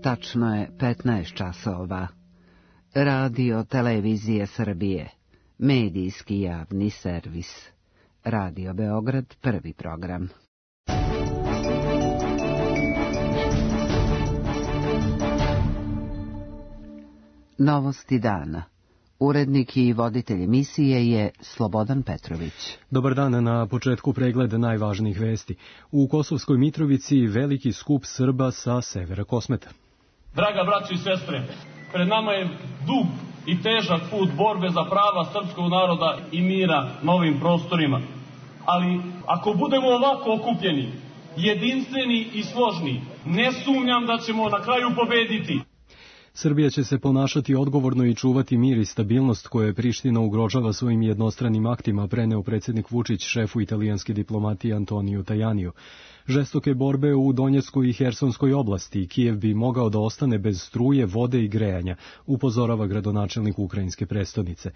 Tačno je 15 časova. Radio Televizije Srbije, medijski javni servis. Radio Beograd, prvi program. Novosti dana. Urednik i voditelj emisije je Slobodan Petrović. Dobar dan, na početku pregled najvažnijih vesti. U Kosovskoj Mitrovici veliki skup Srba sa severa Kosmeta. Draga braćo i sestre, pred nama je dug i težak put borbe za prava srpskog naroda i mira na ovim prostorima. Ali ako budemo ovako okupljeni, jedinstveni i složni, ne sumnjam da ćemo na kraju pobediti. Srbija će se ponašati odgovorno i čuvati mir i stabilnost koje Priština ugrožava svojim jednostranim aktima, preneo predsjednik Vučić šefu italijanske diplomatije Antoniju Tajaniju. Žestoke borbe u Donjeckoj i Hersonskoj oblasti, Kijev bi mogao da ostane bez struje, vode i grejanja, upozorava gradonačelnik ukrajinske prestonice.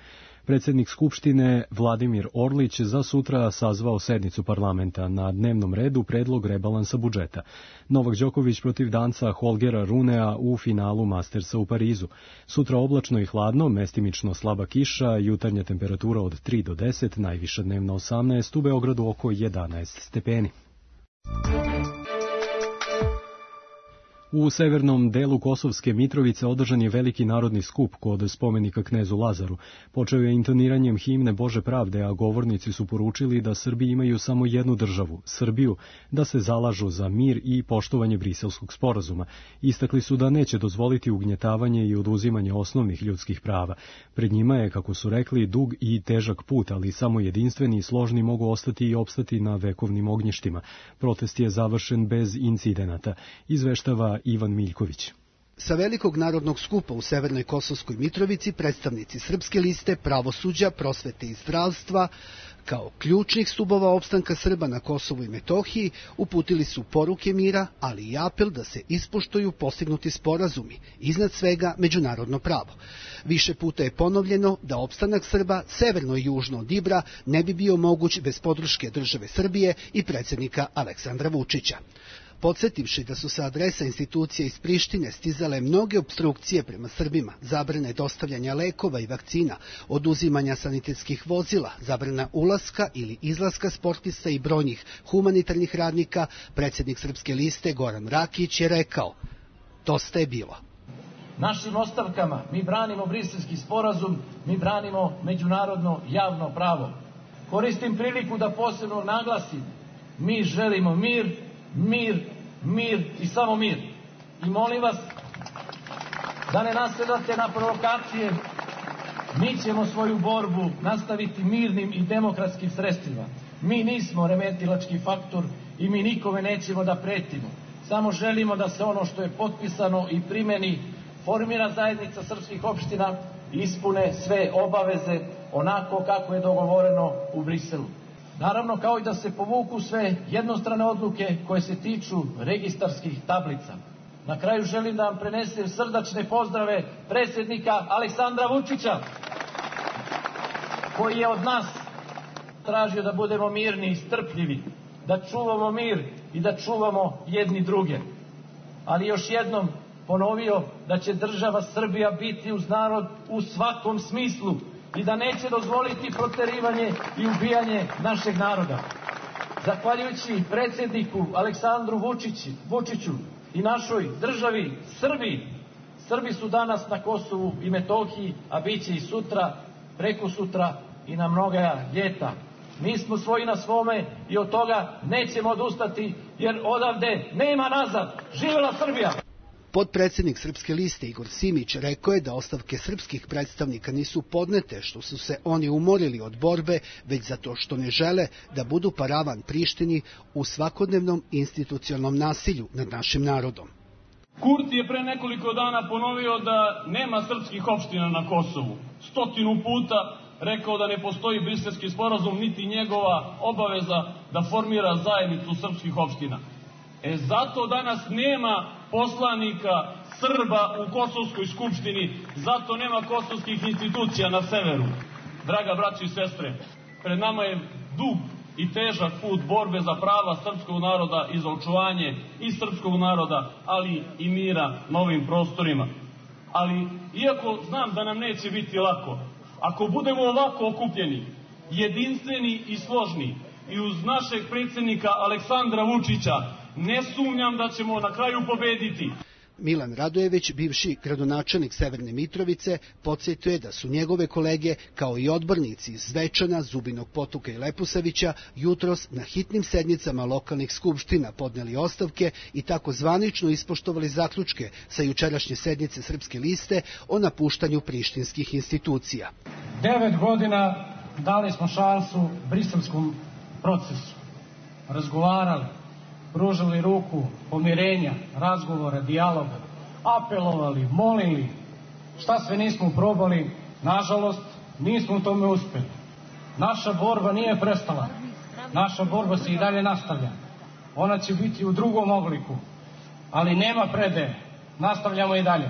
Predsjednik Skupštine Vladimir Orlić za sutra sazvao sednicu parlamenta. Na dnevnom redu predlog rebalansa budžeta. Novak Đoković protiv Danca Holgera Runea u finalu Mastersa u Parizu. Sutra oblačno i hladno, mestimično slaba kiša, jutarnja temperatura od 3 do 10, najviša dnevna 18, u Beogradu oko 11 stepeni. U severnom delu Kosovske Mitrovice održan je veliki narodni skup kod spomenika knezu Lazaru. Počeo je intoniranjem himne Bože pravde, a govornici su poručili da Srbi imaju samo jednu državu, Srbiju, da se zalažu za mir i poštovanje Briselskog sporazuma. Istakli su da neće dozvoliti ugnjetavanje i oduzimanje osnovnih ljudskih prava. Pred njima je, kako su rekli, dug i težak put, ali samo jedinstveni i složni mogu ostati i opstati na vekovnim ognjištima. Protest je završen bez incidenata, izveštava Ivan Miljković. Sa velikog narodnog skupa u Severnoj Kosovskoj Mitrovici predstavnici Srpske liste, pravosuđa, prosvete i zdravstva, kao ključnih stubova opstanka Srba na Kosovu i Metohiji, uputili su poruke mira, ali i apel da se ispoštuju postignuti sporazumi, iznad svega međunarodno pravo. Više puta je ponovljeno da opstanak Srba severno i južno od Ibra ne bi bio moguć bez podrške države Srbije i predsjednika Aleksandra Vučića. Podsjetivši da su sa adresa institucija iz Prištine stizale mnoge opstrukcije prema Srbima, zabrane dostavljanja lekova i vakcina, oduzimanja sanitetskih vozila, zabrana ulaska ili izlaska sportista i brojnih humanitarnih radnika, predsjednik Srpske liste Goran Rakić je rekao: dosta je bilo. Našim ostavkama mi branimo Briselski sporazum, mi branimo međunarodno javno pravo. Koristim priliku da posebno naglasim, mi želimo mir, mir, mir i samo mir. I molim vas da ne nasedate na provokacije. Mi ćemo svoju borbu nastaviti mirnim i demokratskim sredstvima. Mi nismo remetilački faktor i mi nikome nećemo da pretimo. Samo želimo da se ono što je potpisano i primeni, formira zajednica srpskih opština i ispune sve obaveze onako kako je dogovoreno u Briselu. Naravno, kao i da se povuku sve jednostrane odluke koje se tiču registarskih tablica. Na kraju želim da vam prenesem srdačne pozdrave predsjednika Aleksandra Vučića, koji je od nas tražio da budemo mirni i strpljivi, da čuvamo mir i da čuvamo jedni druge. Ali još jednom ponovio da će država Srbija biti uz narod u svakom smislu i da neće dozvoliti proterivanje i ubijanje našeg naroda. Zahvaljujući predsjedniku Aleksandru Vučiću i našoj državi Srbiji, Srbi su danas na Kosovu i Metohiji, a bit će i sutra, prekosutra i na mnoga ljeta. Mi smo svoji na svome i od toga nećemo odustati, jer odavde nema nazad. Živela Srbija! Potpredsjednik Srpske liste Igor Simić rekao je da ostavke srpskih predstavnika nisu podnete što su se oni umorili od borbe, već zato što ne žele da budu paravan Prištini u svakodnevnom institucionalnom nasilju nad našim narodom. Kurti je pre nekoliko dana ponovio da nema srpskih opština na Kosovu. 100 puta rekao da ne postoji Briselski sporazum, niti njegova obaveza da formira zajednicu srpskih opština. Zato danas nema poslanika Srba u Kosovskoj skupštini, zato nema kosovskih institucija na severu. Draga braći i sestre, pred nama je dug i težak put borbe za prava srpskog naroda i za očuvanje i srpskog naroda, ali i mira na ovim prostorima. Ali, iako znam da nam neće biti lako, ako budemo ovako okupljeni, jedinstveni i složni, i uz našeg predsjednika Aleksandra Vučića, ne sumnjam da ćemo na kraju pobediti. Milan Radojević, bivši gradonačelnik Severne Mitrovice, podsjetio je da su njegove kolege, kao i odbornici iz Zvečana, Zubinog Potoka i Leposavića, jutros na hitnim sednicama lokalnih skupština podneli ostavke i tako zvanično ispoštovali zaključke sa jučerašnje sednice Srpske liste o napuštanju prištinskih institucija. 9 godina dali smo šansu briselskom procesu. Razgovarali, pružali ruku pomirenja, razgovora, dijaloga, apelovali, molili. Šta sve nismo probali, nažalost, nismo u tome uspjeli. Naša borba nije prestala. Naša borba se i dalje nastavlja. Ona će biti u drugom obliku, ali nema predaje. Nastavljamo i dalje.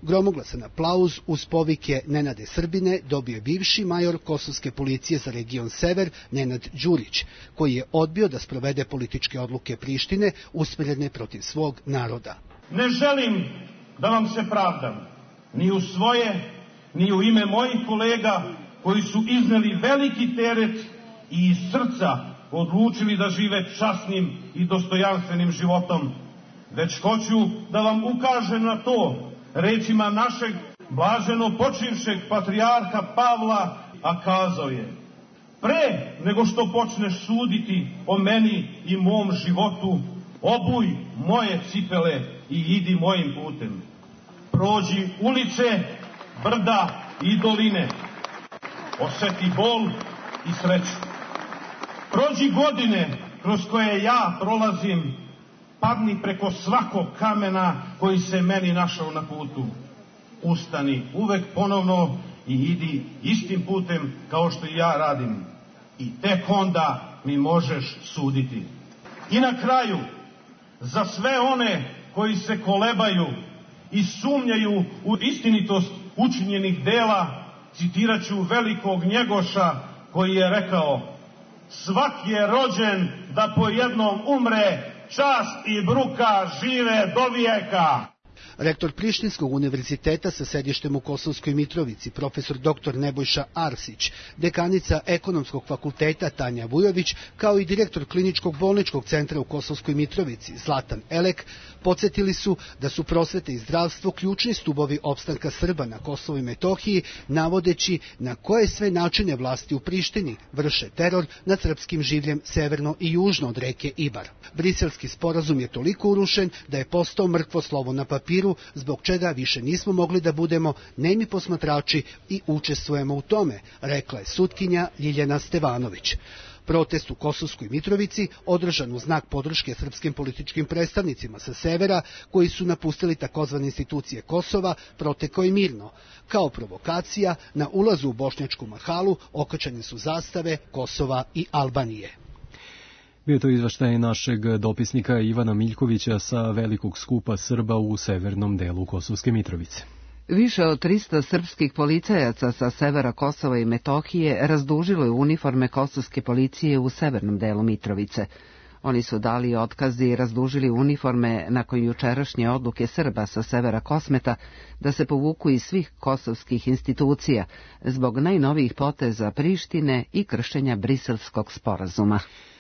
Gromoglasan aplauz uz povike Nenade Srbine dobio je bivši major kosovske policije za region Sever Nenad Đurić, koji je odbio da sprovede političke odluke Prištine usmjerene protiv svog naroda. Ne želim da vam se pravdam, ni u svoje, ni u ime mojih kolega koji su izneli veliki teret i iz srca odlučili da žive časnim i dostojanstvenim životom, već hoću da vam ukažem na to rečima našeg blaženo počivšeg patrijarha Pavla, a kazao je: pre nego što počneš suditi o meni i mom životu, obuj moje cipele i idi mojim putem. Prođi ulice, brda i doline, oseti bol i sreću. Prođi godine kroz koje ja prolazim, padni preko svakog kamena koji se meni našao na putu. Ustani uvek ponovno i idi istim putem kao što i ja radim. I tek onda mi možeš suditi. I na kraju, za sve one koji se kolebaju i sumnjaju u istinitost učinjenih dela, citirat ću velikog Njegoša koji je rekao: svaki je rođen da po jednom umre, čast i bruka žive do vijeka. Rektor Prištinskog univerziteta sa sedištem u Kosovskoj Mitrovici, profesor dr. Nebojša Arsić, dekanica Ekonomskog fakulteta Tanja Vujović, kao i direktor Kliničkog bolničkog centra u Kosovskoj Mitrovici, Zlatan Elek, podsjetili su da su prosvete i zdravstvo ključni stubovi opstanka Srba na Kosovu i Metohiji, navodeći na koje sve načine vlasti u Prištini vrše teror nad srpskim življem severno i južno od reke Ibar. Briselski sporazum je toliko urušen da je postao mrtvo slovo na papiru, zbog čega više nismo mogli da budemo nemi posmatrači i učestvujemo u tome, rekla je sutkinja Ljiljana Stevanović. Protest u Kosovskoj Mitrovici održan u znak podrške srpskim političkim predstavnicima sa severa, koji su napustili takozvane institucije Kosova, protekao je mirno. Kao provokacija, na ulazu u Bošnjačku mahalu okačene su zastave Kosova i Albanije. Bio to izveštaj našeg dopisnika Ivana Miljkovića sa velikog skupa Srba u severnom delu Kosovske Mitrovice. Više od 300 srpskih policajaca sa severa Kosova i Metohije razdužilo je uniforme kosovske policije u severnom delu Mitrovice. Oni su dali otkaz i razdužili uniforme nakon jučerašnje odluke Srba sa severa Kosmeta da se povuku iz svih kosovskih institucija zbog najnovijih poteza Prištine i kršenja Briselskog sporazuma.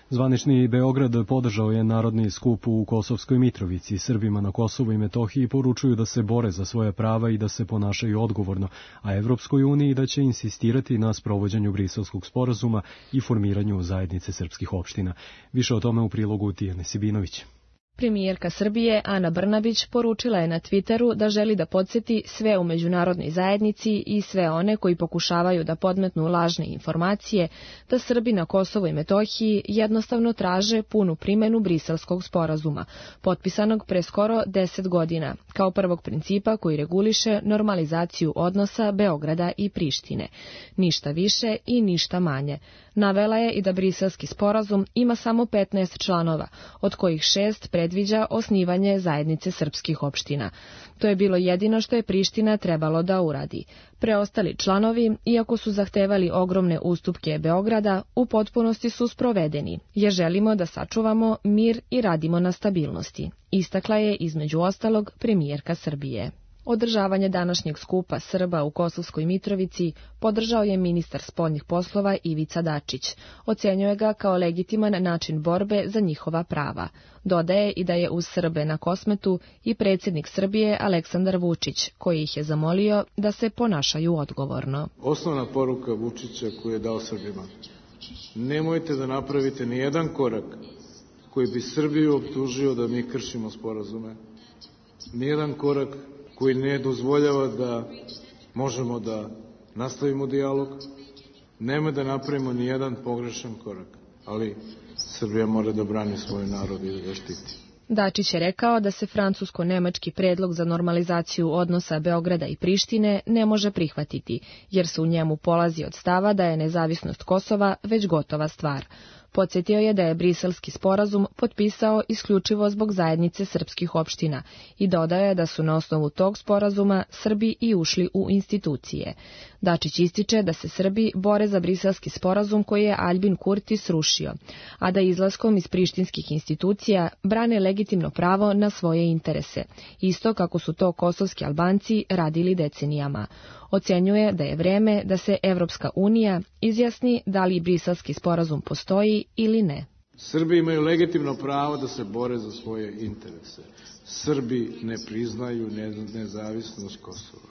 Zvanični Beograd podržao je narodni skup u Kosovskoj Mitrovici. Srbima na Kosovu i Metohiji poručuju da se bore za svoja prava i da se ponašaju odgovorno, a Evropskoj uniji da će insistirati na sprovođenju Briselskog sporazuma i formiranju zajednice srpskih opština. Više o tome u prilogu Tijane Sibinović. Premijerka Srbije Ana Brnabić poručila je na Twitteru da želi da podsjeti sve u međunarodnoj zajednici i sve one koji pokušavaju da podmetnu lažne informacije da Srbi na Kosovu i Metohiji jednostavno traže punu primjenu Briselskog sporazuma, potpisanog pre skoro 10 godina, kao prvog principa koji reguliše normalizaciju odnosa Beograda i Prištine. Ništa više i ništa manje. Navela je i da Briselski sporazum ima samo 15 članova, od kojih 6 predviđa predviđa osnivanje zajednice srpskih opština. To je bilo jedino što je Priština trebalo da uradi. Preostali članovi, iako su zahtevali ogromne ustupke Beograda, u potpunosti su sprovedeni, jer želimo da sačuvamo mir i radimo na stabilnosti, istakla je između ostalog premijerka Srbije. Održavanje današnjeg skupa Srba u Kosovskoj Mitrovici podržao je ministar spoljnih poslova Ivica Dačić. Ocenjuje ga kao legitiman način borbe za njihova prava. Dodaje i da je uz Srbe na Kosmetu i predsjednik Srbije Aleksandar Vučić, koji ih je zamolio da se ponašaju odgovorno. Osnovna poruka Vučića koju je dao Srbima: nemojte da napravite ni jedan korak koji bi Srbiju optužio da mi kršimo sporazume, ni jedan korak koji ne dozvoljava da možemo da nastavimo dijalog. Nema da napravimo ni jedan pogrešan korak, ali Srbija mora da brani svoj narod i da ga štiti. Dačić je rekao da se francusko-nemački predlog za normalizaciju odnosa Beograda i Prištine ne može prihvatiti, jer se u njemu polazi od stava da je nezavisnost Kosova već gotova stvar. Podsjetio je da je Briselski sporazum potpisao isključivo zbog zajednice srpskih opština i dodao je da su na osnovu tog sporazuma Srbi i ušli u institucije. Dačić ističe da se Srbi bore za Briselski sporazum koji je Aljbin Kurti srušio, a da izlaskom iz prištinskih institucija brane legitimno pravo na svoje interese, isto kako su to kosovski Albanci radili decenijama. Ocenjuje da je vreme da se Evropska unija izjasni da li Briselski sporazum postoji ili ne. Srbi imaju legitimno pravo da se bore za svoje interese. Srbi ne priznaju nezavisnost Kosova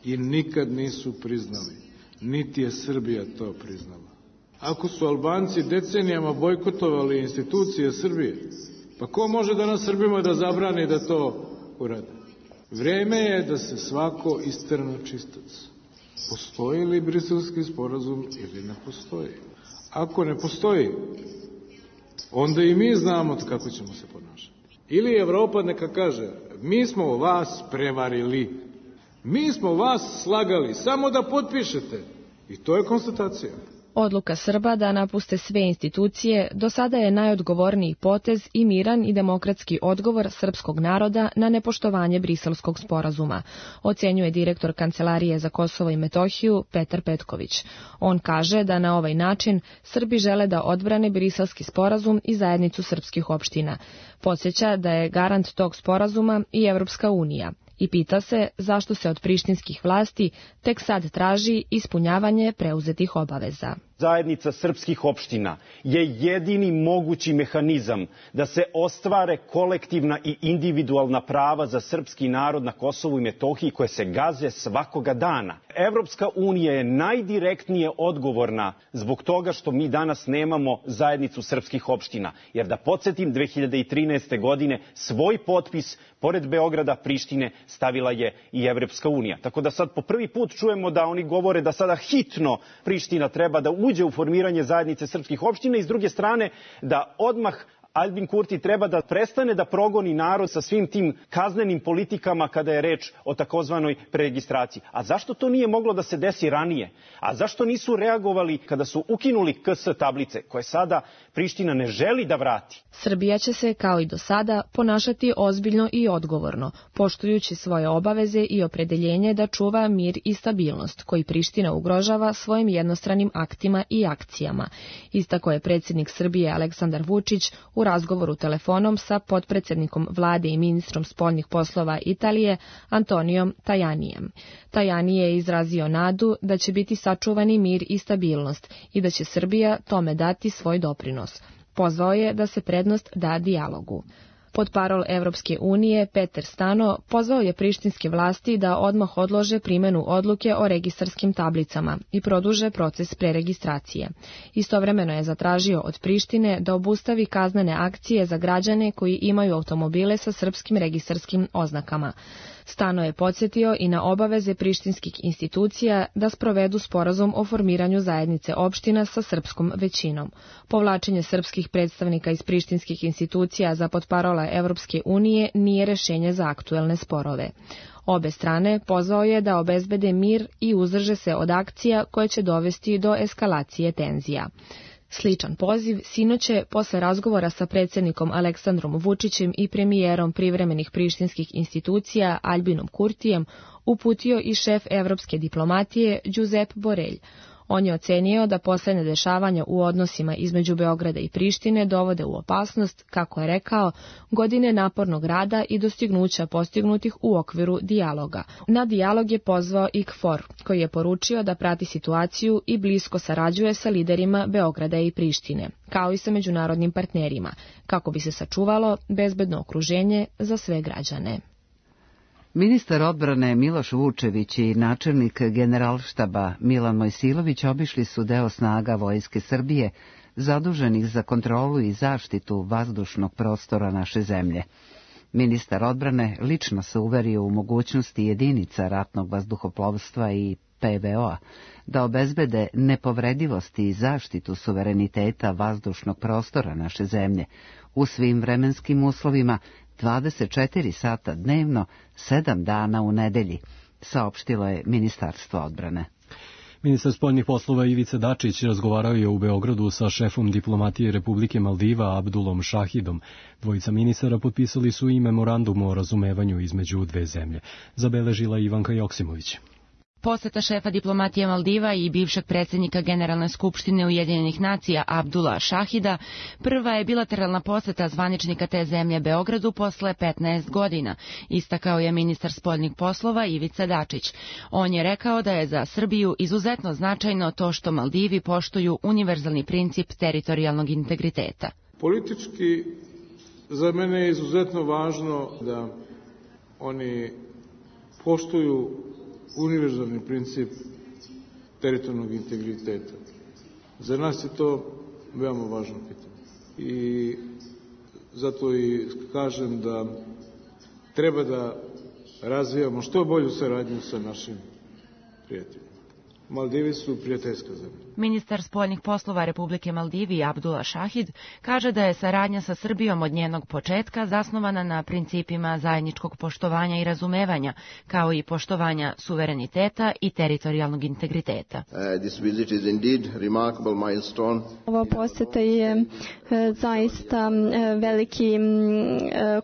i nikad nisu priznali, niti je Srbija to priznala. Ako su Albanci decenijama bojkotovali institucije Srbije, pa ko može danas Srbima da zabrani da to urade? Vreme je da se svako istrne čistac. Postoji li Briselski sporazum ili ne postoji? Ako ne postoji, onda i mi znamo kako ćemo se ponašati. Ili Evropa neka kaže: mi smo vas prevarili, mi smo vas slagali, samo da potpišete. I to je konstatacija. Odluka Srba da napuste sve institucije do sada je najodgovorniji potez i miran i demokratski odgovor srpskog naroda na nepoštovanje Briselskog sporazuma, ocenjuje direktor Kancelarije za Kosovo i Metohiju Petar Petković. On kaže da na ovaj način Srbi žele da odbrane Briselski sporazum i zajednicu srpskih opština. Podsjeća da je garant tog sporazuma i Evropska unija. I pita se zašto se od prištinskih vlasti tek sad traži ispunjavanje preuzetih obaveza. Zajednica srpskih opština je jedini mogući mehanizam da se ostvare kolektivna i individualna prava za srpski narod na Kosovu i Metohiji koje se gaze svakoga dana. Evropska unija je najdirektnije odgovorna zbog toga što mi danas nemamo zajednicu srpskih opština. Jer da podsjetim, 2013. godine svoj potpis pored Beograda, Prištine stavila je i Evropska unija. Tako da sad po prvi put čujemo da oni govore da sada hitno Priština treba da uđe u formiranje zajednice srpskih opština i s druge strane da odmah Aljbin Kurti treba da prestane da progoni narod sa svim tim kaznenim politikama kada je reč o takozvanoj preregistraciji. A zašto to nije moglo da se desi ranije? A zašto nisu reagovali kada su ukinuli KS tablice koje sada Priština ne želi da vrati? Srbija će se, kao i do sada, ponašati ozbiljno i odgovorno, poštujući svoje obaveze i opredeljenje da čuva mir i stabilnost, koji Priština ugrožava svojim jednostranim aktima i akcijama. Istakao je predsjednik Srbije Aleksandar Vučić u razgovoru telefonom sa potpredsjednikom vlade i ministrom spoljnih poslova Italije Antonijom Tajanijem. Tajani je izrazio nadu da će biti sačuvani mir i stabilnost i da će Srbija tome dati svoj doprinos. Pozvao je da se prednost da dijalogu. Potparol Evropske unije Peter Stano pozvao je prištinske vlasti da odmah odlože primjenu odluke o registarskim tablicama i produže proces preregistracije. Istovremeno je zatražio od Prištine da obustavi kaznene akcije za građane koji imaju automobile sa srpskim registarskim oznakama. Stano je podsjetio i na obaveze prištinskih institucija da sprovedu sporazum o formiranju zajednice opština sa srpskom većinom. Povlačenje srpskih predstavnika iz prištinskih institucija za potparola Evropske unije nije rešenje za aktuelne sporove. Obe strane pozvao je da obezbede mir i uzdrže se od akcija koje će dovesti do eskalacije tenzija. Sličan poziv sinoć je posle razgovora sa predsjednikom Aleksandrom Vučićem i premijerom privremenih prištinskih institucija Albinom Kurtijem uputio i šef evropske diplomatije Josep Borrell. On je ocenio da poslednje dešavanja u odnosima između Beograda i Prištine dovode u opasnost, kako je rekao, godine napornog rada i dostignuća postignutih u okviru dijaloga. Na dijalog je pozvao i KFOR, koji je poručio da prati situaciju i blisko sarađuje sa liderima Beograda i Prištine, kao i sa međunarodnim partnerima, kako bi se sačuvalo bezbedno okruženje za sve građane. Ministar odbrane Miloš Vučević i načelnik Generalštaba Milan Mojsilović obišli su deo snaga Vojske Srbije zaduženih za kontrolu i zaštitu vazdušnog prostora naše zemlje. Ministar odbrane lično se uverio u mogućnosti jedinica ratnog vazduhoplovstva i PVO-a da obezbede nepovredivost i zaštitu suvereniteta vazdušnog prostora naše zemlje u svim vremenskim uslovima 24 sata dnevno, 7 dana u nedelji, saopštilo je Ministarstvo odbrane. Ministar spoljnih poslova Ivica Dačić razgovarao je u Beogradu sa šefom diplomatije Republike Maldiva Abdulom Šahidom. Dvojica ministara potpisali su i memorandum o razumevanju između dve zemlje. Zabeležila Ivanka Joksimović. Poseta šefa diplomatije Maldiva i bivšeg predsjednika Generalne skupštine Ujedinjenih nacija Abdula Šahida prva je bilateralna poseta zvaničnika te zemlje Beogradu posle 15 godina, istakao je ministar spoljnih poslova Ivica Dačić. On je rekao da je za Srbiju izuzetno značajno to što Maldivi poštuju univerzalni princip teritorijalnog integriteta. Politički za mene je izuzetno važno da oni poštuju univerzalni princip teritorijalnog integriteta. Za nas je to veoma važno pitanje. I zato i kažem da treba da razvijamo što bolju saradnju sa našim prijateljima. Maldivi su prijateljska zemlja. Ministar spoljnih poslova Republike Maldivi Abdula Šahid kaže da je saradnja sa Srbijom od njenog početka zasnovana na principima zajedničkog poštovanja i razumevanja, kao i poštovanja suvereniteta i teritorijalnog integriteta. Ova poseta je zaista veliki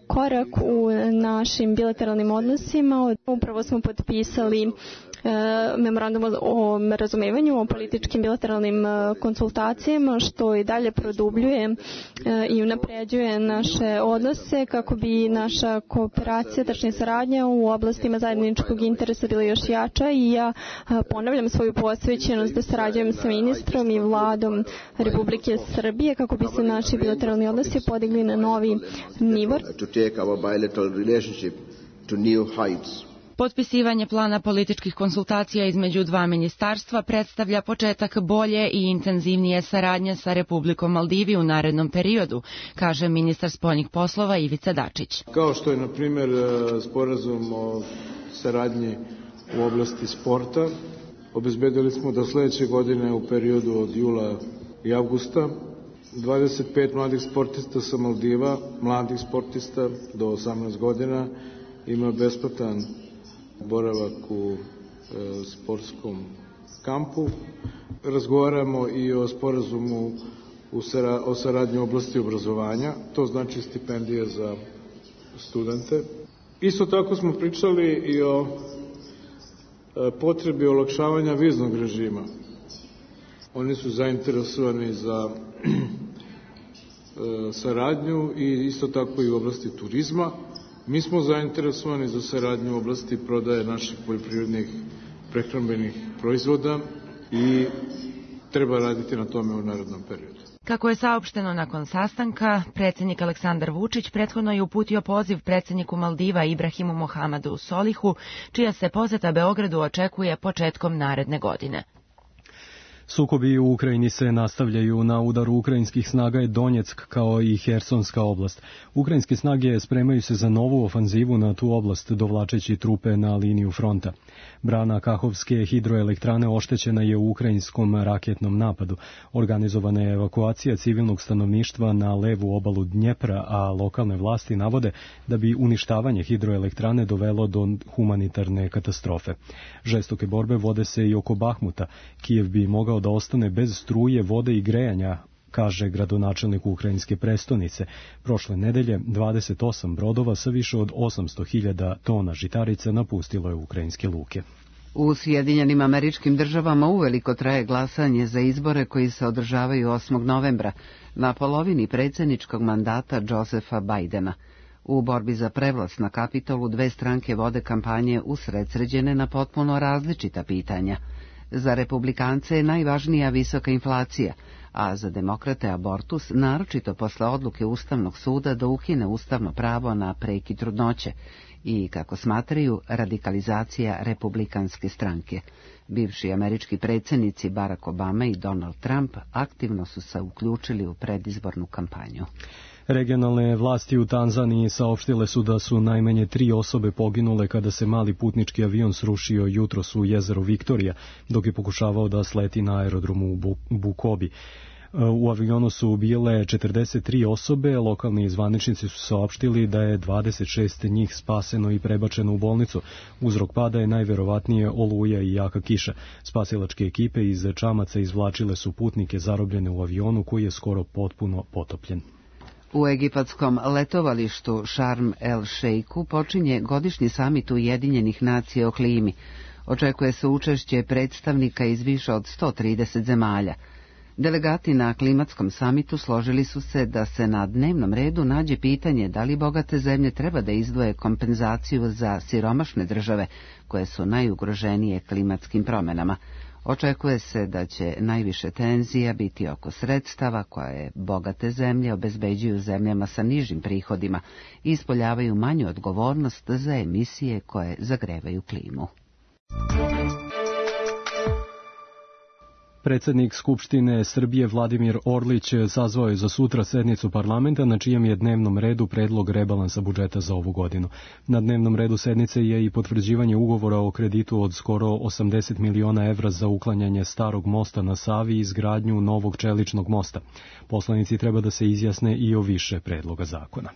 korak u našim bilateralnim odnosima. Upravo smo potpisali memorandum o razumevanju, o političkim bilateralnim konsultacijama, što i dalje produbljuje i unapređuje naše odnose kako bi naša kooperacija, tačnije saradnja u oblastima zajedničkog interesa bila još jača i ja ponavljam svoju posvećenost da sarađujem sa ministrom i vladom Republike Srbije kako bi se naši bilateralni odnosi podigli na novi nivo. Potpisivanje plana političkih konsultacija između dva ministarstva predstavlja početak bolje i intenzivnije saradnje sa Republikom Maldivi u narednom periodu, kaže ministar spoljnih poslova Ivica Dačić. Kao što je, na primjer, sporazum o saradnji u oblasti sporta, obezbedili smo da sledeće godine u periodu od jula i avgusta 25 mladih sportista sa Maldiva, mladih sportista do 18 godina, ima besplatan boravak u sportskom kampu. Razgovaramo i o sporazumu o saradnji u oblasti obrazovanja, to znači stipendije za studente. Isto tako smo pričali i o potrebi olakšavanja viznog režima. Oni su zainteresovani za saradnju i isto tako i u oblasti turizma. Mi smo zainteresovani za saradnju u oblasti prodaje naših poljoprivrednih prehrambenih proizvoda i treba raditi na tome u narednom periodu. Kako je saopšteno nakon sastanka, predsjednik Aleksandar Vučić prethodno je uputio poziv predsjedniku Maldiva Ibrahimu Mohamedu Solihu, čija se poseta Beogradu očekuje početkom naredne godine. Sukobi u Ukrajini se nastavljaju. Na udaru ukrajinskih snaga je Donjeck kao i Hersonska oblast. Ukrajinske snage spremaju se za novu ofanzivu na tu oblast, dovlačeći trupe na liniju fronta. Brana Kahovske hidroelektrane oštećena je u ukrajinskom raketnom napadu. Organizovana je evakuacija civilnog stanovništva na levu obalu Dnjepra, a lokalne vlasti navode da bi uništavanje hidroelektrane dovelo do humanitarne katastrofe. Žestoke borbe vode se i oko Bahmuta. Kijev bi mogao da ostane bez struje, vode i grejanja kaže gradonačelnik ukrajinske prestonice. Prošle nedelje 28 brodova sa više od 800.000 tona žitarice napustilo je ukrajinske luke. U Sjedinjenim Američkim Državama uveliko traje glasanje za izbore koji se održavaju 8. novembra na polovini predsjedničkog mandata Josepha Bidena. U borbi za prevlast na Kapitolu dve stranke vode kampanje usredsređene na potpuno različita pitanja. Za republikance je najvažnija visoka inflacija, a za demokrate abortus, naročito posle odluke Ustavnog suda da ukine ustavno pravo na prekid trudnoće i, kako smatraju, radikalizacija republikanske stranke. Bivši američki predsjednici Barack Obama i Donald Trump aktivno su se uključili u predizbornu kampanju. Regionalne vlasti u Tanzaniji saopštile su da su najmanje 3 osobe poginule kada se mali putnički avion srušio jutros u jezeru Viktorija, dok je pokušavao da sleti na aerodromu u Bukobi. U avionu su bile 43 osobe, lokalni zvaničnici su saopštili da je 26 njih spaseno i prebačeno u bolnicu. Uzrok pada je najverovatnije oluja i jaka kiša. Spasilačke ekipe iz čamaca izvlačile su putnike zarobljene u avionu koji je skoro potpuno potopljen. U egipatskom letovalištu Sharm el Sheikhu počinje godišnji samit Ujedinjenih nacija o klimi. Očekuje se učešće predstavnika iz više od 130 zemalja. Delegati na klimatskom samitu složili su se da se na dnevnom redu nađe pitanje da li bogate zemlje treba da izdvoje kompenzaciju za siromašne države koje su najugroženije klimatskim promjenama. Očekuje se da će najviše tenzija biti oko sredstava koje bogate zemlje obezbeđuju zemljama sa nižim prihodima i ispoljavaju manju odgovornost za emisije koje zagrevaju klimu. Predsjednik Skupštine Srbije Vladimir Orlić sazvao je za sutra sednicu parlamenta na čijem je dnevnom redu predlog rebalansa budžeta za ovu godinu. Na dnevnom redu sednice je i potvrđivanje ugovora o kreditu od skoro 80 miliona evra za uklanjanje starog mosta na Savi i izgradnju novog čeličnog mosta. Poslanici treba da se izjasne i o više predloga zakona.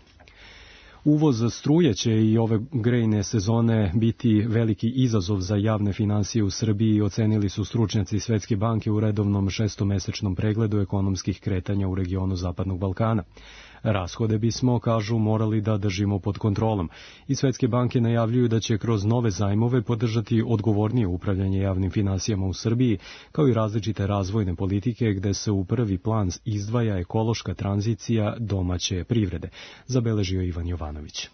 Uvoz struje će i ove grejne sezone biti veliki izazov za javne finansije u Srbiji, ocenili su stručnjaci Svetske banke u redovnom šestomesečnom pregledu ekonomskih kretanja u regionu Zapadnog Balkana. Rashode bismo, kažu, morali da držimo pod kontrolom. I Svetske banke najavljuju da će kroz nove zajmove podržati odgovornije upravljanje javnim finansijama u Srbiji, kao i različite razvojne politike gde se u prvi plan izdvaja ekološka tranzicija domaće privrede, zabeležio Ivan Jovanović.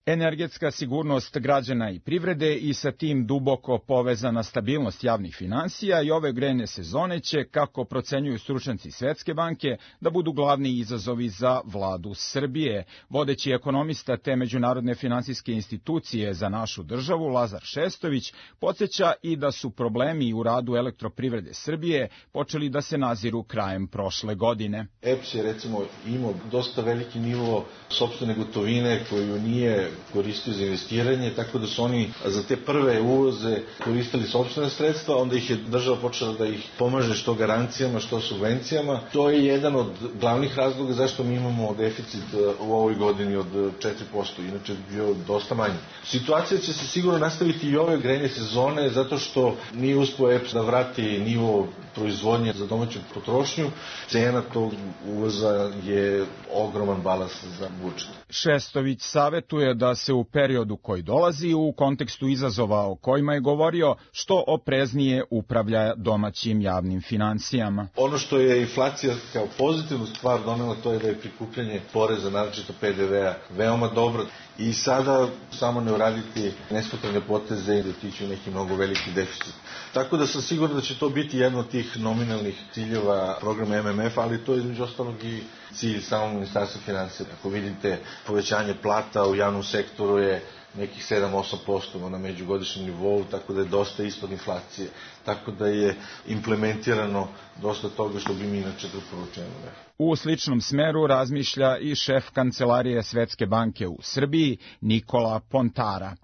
Energetska sigurnost građana i privrede i sa tim duboko povezana stabilnost javnih finansija i ove grejne sezone će, kako procenjuju stručnjaci Svetske banke, da budu glavni izazovi za vladu Srbije. Vodeći ekonomista te međunarodne finansijske institucije za našu državu, Lazar Šestović, podsjeća i da su problemi u radu elektroprivrede Srbije počeli da se naziru krajem prošle godine. EPS je recimo imao dosta veliki nivo sopstvene gotovine koju nije koristio za investiranje, tako da su oni za te prve uvoze koristili sopstvene sredstva, onda ih je država počela da ih pomaže što garancijama, što subvencijama. To je jedan od glavnih razloga zašto mi imamo deficit u ovoj godini od 4%, inače bi bio dosta manji. Situacija će se sigurno nastaviti i ove grejne sezone, zato što nije uspeo EPS da vrati nivo proizvodnje za domaću potrošnju. Cena tog uvoza je ogroman balans za budžet. Šestović savetuje da se u periodu koji dolazi u kontekstu izazova o kojima je govorio što opreznije upravlja domaćim javnim finansijama. Ono što je inflacija kao pozitivnu stvar donela, to je da je prikupljanje poreza, naročito PDV-a, veoma dobro. I sada samo ne uraditi nesmotrene poteze i da tiču neki mnogo veliki deficit. Tako da sam siguran da će to biti jedno od tih nominalnih ciljeva programa MMF, ali to je između ostalog i cilj samog ministarstva finansija. Ako vidite, povećanje plata u javnom sektoru je nekih 7-8% na međugodišnjem nivou, tako da je dosta ispod inflacije. Tako da je implementirano dosta toga što bi mi inače preporučili. U sličnom smeru razmišlja i šef kancelarije Svetske banke u Srbiji, Nikola Pontara.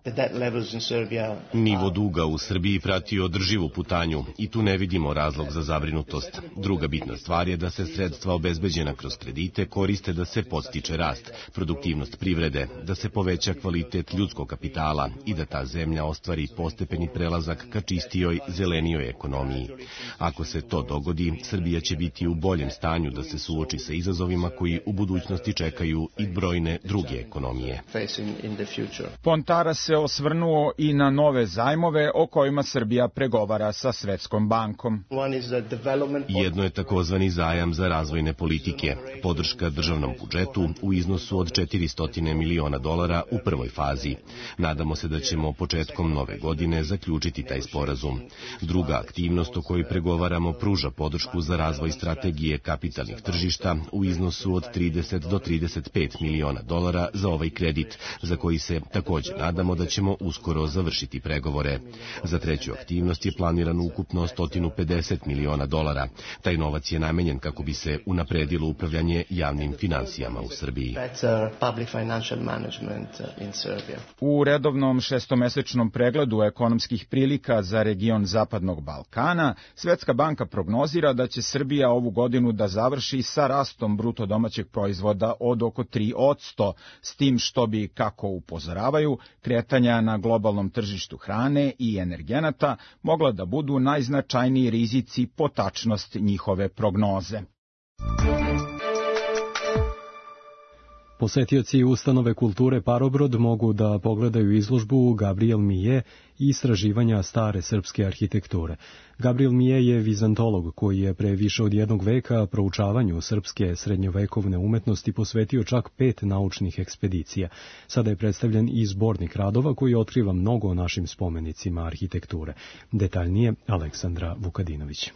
Nivo duga u Srbiji prati održivu putanju i tu ne vidimo razlog za zabrinutost. Druga bitna stvar je da se sredstva obezbeđena kroz kredite koriste da se podstiče rast, produktivnost privrede, da se poveća kvalitet ljudskog ljudskog kapitala i da ta zemlja ostvari postepeni prelazak ka čistijoj, zelenijoj ekonomiji. Ako se to dogodi, Srbija će biti u boljem stanju da se suoči sa izazovima koji u budućnosti čekaju i brojne druge ekonomije. Pontara se osvrnuo i na nove zajmove o kojima Srbija pregovara sa Svetskom bankom. Jedno je takozvani zajam za razvojne politike, podrška državnom budžetu u iznosu od $400 miliona u prvoj fazi. Nadamo se da ćemo početkom nove godine zaključiti taj sporazum. Druga aktivnost o kojoj pregovaramo pruža podršku za razvoj strategije kapitalnih tržišta u iznosu od $30 do $35 miliona za ovaj kredit, za koji se takođe nadamo da ćemo uskoro završiti pregovore. Za treću aktivnost je planirano ukupno $150 miliona. Taj novac je namenjen kako bi se unapredilo upravljanje javnim finansijama u Srbiji. U redovnom šestomesečnom pregledu ekonomskih prilika za region Zapadnog Balkana, Svetska banka prognozira da će Srbija ovu godinu da završi sa rastom bruto domaćeg proizvoda od oko 3%, s tim što bi, kako upozoravaju, kretanja na globalnom tržištu hrane i energenata mogla da budu najznačajniji rizici po tačnost njihove prognoze. Posetioci ustanove kulture Parobrod mogu da pogledaju izložbu Gabriel Millet i istraživanja stare srpske arhitekture. Gabriel Millet je vizantolog koji je pre više od jednog veka proučavanju srpske srednjovekovne umetnosti posvetio čak 5 naučnih ekspedicija. Sada je predstavljen i zbornik radova koji otkriva mnogo o našim spomenicima arhitekture. Detaljnije Aleksandra Vukadinović.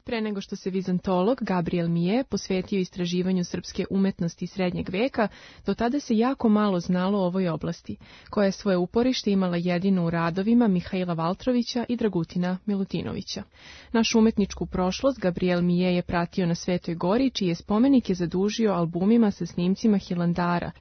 Pre nego što se vizantolog Gabriel Millet posvetio istraživanju srpske umetnosti srednjeg veka, do tada se jako malo znalo o ovoj oblasti, koja je svoje uporište imala jedino u radovima Mihaila Valtrovića i Dragutina Milutinovića. Našu umetničku prošlost Gabriel Millet je pratio na Svetoj Gori, čije spomenik je zadužio albumima sa snimcima Hilandara.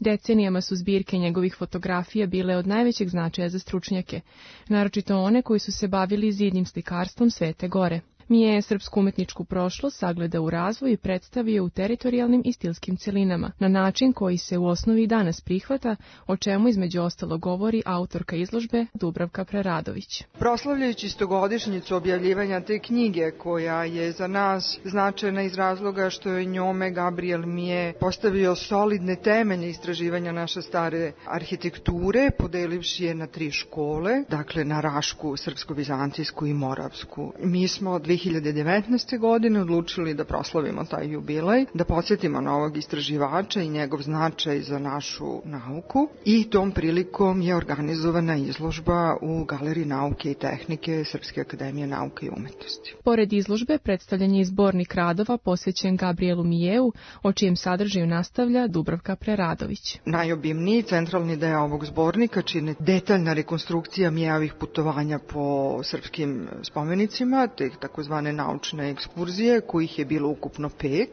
Decenijama su zbirke njegovih fotografija bile od najvećeg značaja za stručnjake, naročito one koji su se bavili zidnim slikarstvom Svete Gore. Millet je srpsku umetničku prošlost sagledao u razvoju i predstavio u teritorijalnim i stilskim celinama, na način koji se u osnovi danas prihvata, o čemu između ostalo govori autorka izložbe Dubravka Preradović. Proslavljajući 100-godišnjicu objavljivanja te knjige, koja je za nas značajna iz razloga što je njome Gabriel Millet postavio solidne temelje istraživanja naše stare arhitekture, podelivši je na 3 škole, dakle na Rašku, Srpsko-Bizantijsku i Moravsku. Mi smo 2019. godine odlučili da proslavimo taj jubilej, da podsjetimo na ovog istraživača i njegov značaj za našu nauku, i tom prilikom je organizovana izložba u Galeriji nauke i tehnike Srpske akademije nauke i umetnosti. Pored izložbe predstavljen je zbornik radova posvećen Gabrielu Miljetu, o čijem sadržaju nastavlja Dubravka Preradović. Najobimniji centralni deo ovog zbornika čine detaljna rekonstrukcija Miljetovih putovanja po srpskim spomenicima, te takozvane naučne ekskurzije, kojih je bilo ukupno 5.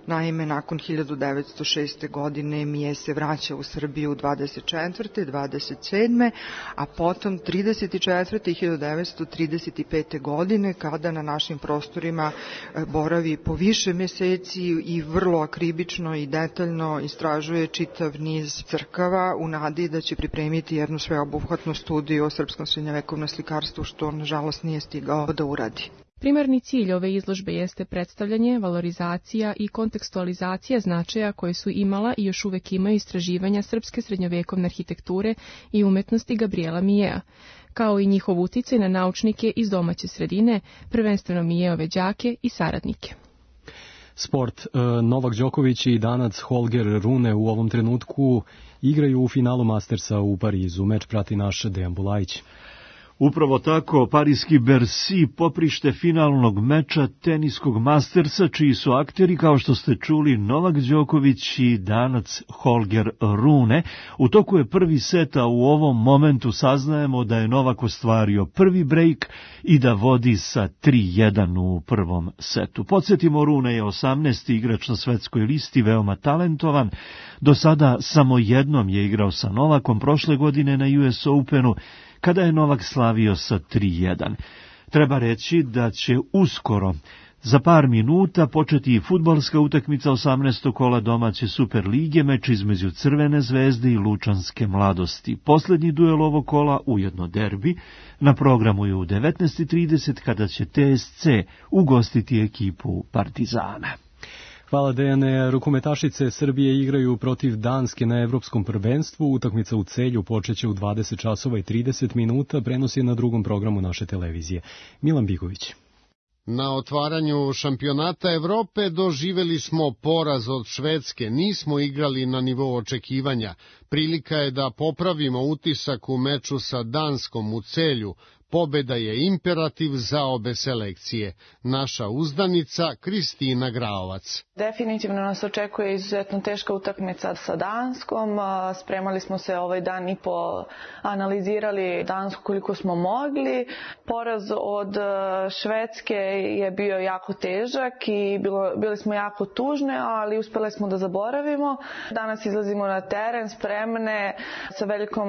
Naime, nakon 1906. godine Millet se vraća u Srbiju 24. 27. a potom 34. i 1935. godine, kada na našim prostorima boravi po više meseci i vrlo akribično i detaljno istražuje čitav niz crkava u nadi da će pripremiti jednu sveobuhvatnu studiju o srpskom srednjovekovnom slikarstvu, što nažalost nije stigao da uradi. Primarni cilj ove izložbe jeste predstavljanje, valorizacija i kontekstualizacija značaja koje su imala i još uvek imaju istraživanja srpske srednjovekovne arhitekture i umetnosti Gabriela Miljeta, kao i njihov uticaj na naučnike iz domaće sredine, prvenstveno Miljetove đake i saradnike. Sport. Novak Đoković i Danac Holger Rune u ovom trenutku igraju u finalu Mastersa u Parizu. Meč prati naš Dejan Bulajić. Upravo tako, parijski Bercy, poprište finalnog meča teniskog Mastersa, čiji su akteri, kao što ste čuli, Novak Đoković i Danac Holger Rune. U toku je prvi set, a u ovom momentu saznajemo da je Novak ostvario prvi brejk i da vodi sa 3-1 u prvom setu. Podsjetimo, Rune je 18. igrač na svetskoj listi, veoma talentovan. Do sada samo jednom je igrao sa Novakom, prošle godine na US Openu, kada je Novak slavio sa 3-1. Treba reći da će uskoro Za par minuta početi i fudbalska utakmica 18. kola domaće Super lige, meč između Crvene zvezde i Lučanske mladosti. Poslednji duel ovog kola, ujedno derbi, na programu je u 19:30 kada će TSC ugostiti ekipu Partizana. Hvala Dejane. Rukometašice Srbije igraju protiv Danske na Evropskom prvenstvu. Utakmica u Celju počeće u 20 časova i 30 minuta. Prenos je na drugom programu naše televizije. Milan Bigović. Na otvaranju šampionata Evrope doživeli smo poraz od Švedske, nismo igrali na nivou očekivanja. Prilika je da popravimo utisak u meču sa Danskom u Celju. Pobeda je imperativ za obe selekcije. Naša uzdanica Kristina Graovac. Definitivno nas očekuje izuzetno teška utakmica sa Danskom. Spremali smo se ovaj dan i analizirali Dansku koliko smo mogli. Poraz od Švedske je bio jako težak i bili smo jako tužne, ali uspeli smo da zaboravimo. Danas izlazimo na teren spremne sa velikom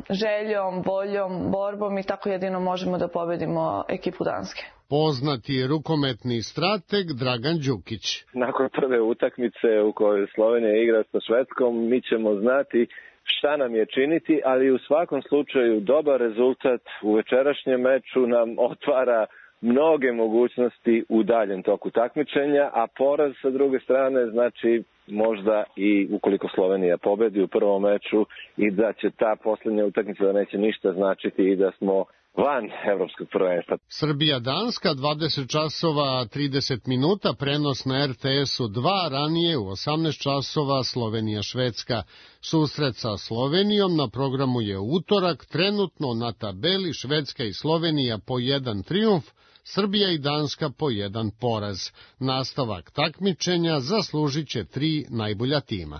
željom, voljom, borbom i tako jedino možemo da pobedimo ekipu Danske. Poznati rukometni strateg Dragan Đukić. Nakon prve utakmice u kojoj Slovenija igra sa Švedskom, mi ćemo znati šta nam je činiti, ali u svakom slučaju dobar rezultat u večerašnjem meču nam otvara mnoge mogućnosti u daljem toku takmičenja, a poraz sa druge strane znači možda i ukoliko Slovenija pobedi u prvom meču i da će ta posljednja utakmica da neće ništa značiti i da smo van evropskog prvenstva. Srbija-Danska 20 časova 30 minuta, prenos na RTS-u 2, ranije u 18 časova Slovenija-Švedska. Susret sa Slovenijom na programu je utorak, trenutno na tabeli Švedska i Slovenija po 1 trijumf, Srbija i Danska po 1 poraz. Nastavak takmičenja zaslužit će 3 najbolja tima.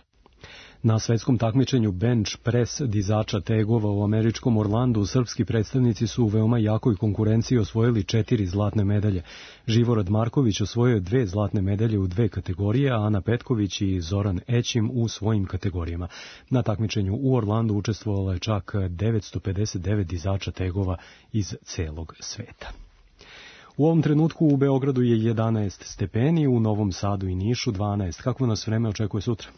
Na svetskom takmičenju bench press dizača tegova u američkom Orlandu srpski predstavnici su u veoma jakoj konkurenciji osvojili 4 zlatne medalje. Živorad Marković osvojio 2 zlatne medalje u 2 kategorije, a Ana Petković i Zoran Ećim u svojim kategorijama. Na takmičenju u Orlandu učestvovalo je čak 959 dizača tegova iz celog sveta. U ovom trenutku u Beogradu je 11 stepeni, u Novom Sadu i Nišu 12. Kako nas vreme očekuje sutra?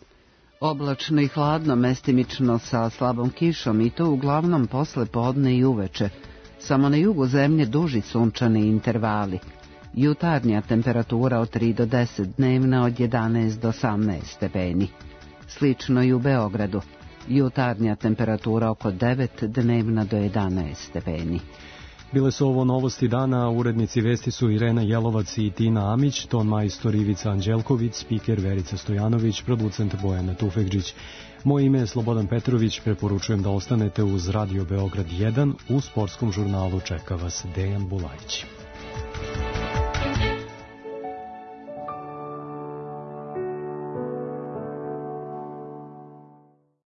Oblačno i hladno, mestimično sa slabom kišom i to uglavnom posle podne i uveče. Samo na jugu zemlje duži sunčani intervali. Jutarnja temperatura od 3 do 10, dnevna od 11 do 18 stepeni. Slično i u Beogradu. Jutarnja temperatura oko 9, dnevna do 11 stepeni. Bile su ovo novosti dana, urednici vesti su Irena Jelovac i Tina Amić, ton majstor Ivica Anđelković, spiker Verica Stojanović, producent Bojana Tufekđić. Moje ime je Slobodan Petrović, preporučujem da ostanete uz Radio Beograd 1, u sportskom žurnalu čeka vas Dejan Bulajić.